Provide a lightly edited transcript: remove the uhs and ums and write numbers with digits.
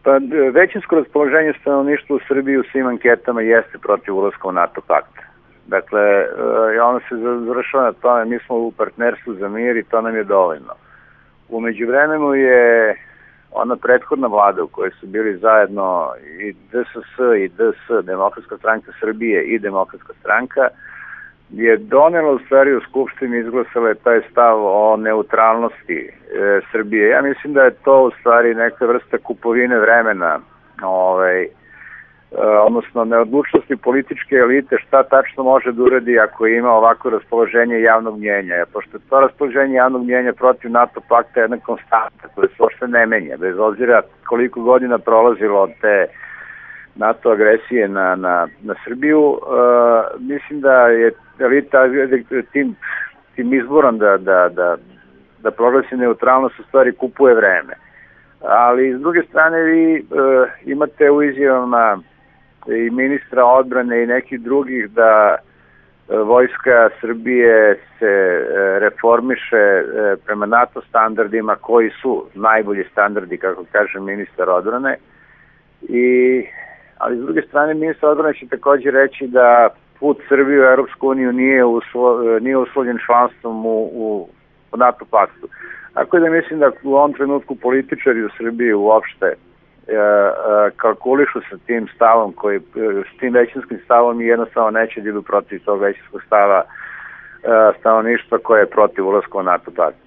Pa većinsko raspoloženje stanovništva u Srbiji u svim anketama jeste protiv ulaska u NATO pakt. Dakle, ono se završava na tome, mi smo u partnerstvu za mir i to nam je dovoljno. U međuvremenu je ona prethodna vlada u kojoj su bili zajedno i DSS i DS, Demokratska stranka Srbije i Demokratska stranka, je donela u stvari u Skupštini, izglasala je taj stav o neutralnosti Srbije. Ja mislim da je to u stvari neka vrsta kupovine vremena, odnosno neodlučnosti političke elite šta tačno može da uradi ako ima ovako raspoloženje javnog mnjenja. Pošto to raspoloženje javnog mnjenja protiv NATO pakta je jedna konstanta koja se uopšte ne menja, bez obzira koliko godina prolazilo od te NATO agresije na Srbiju. Mislim da je elita tim izborom da proglasi neutralnost u stvari kupuje vreme. Ali s druge strane vi imate u izjavama i ministra odbrane i nekih drugih da vojska Srbije se reformiše prema NATO standardima koji su najbolji standardi, kako kaže ministar odbrane. Ali s druge strane ministar odbrane će također reći da put Srbije u Europsku uniju nije uslovljen članstvom u NATO paktu. Tako da mislim da u ovom trenutku političari u Srbiji uopšte kalkulišu sa tim stavom, s tim većinskim stavom i jednostavno neće da idu protiv tog većinskog stava stanovništva koje je protiv ulaska u NATO pakt.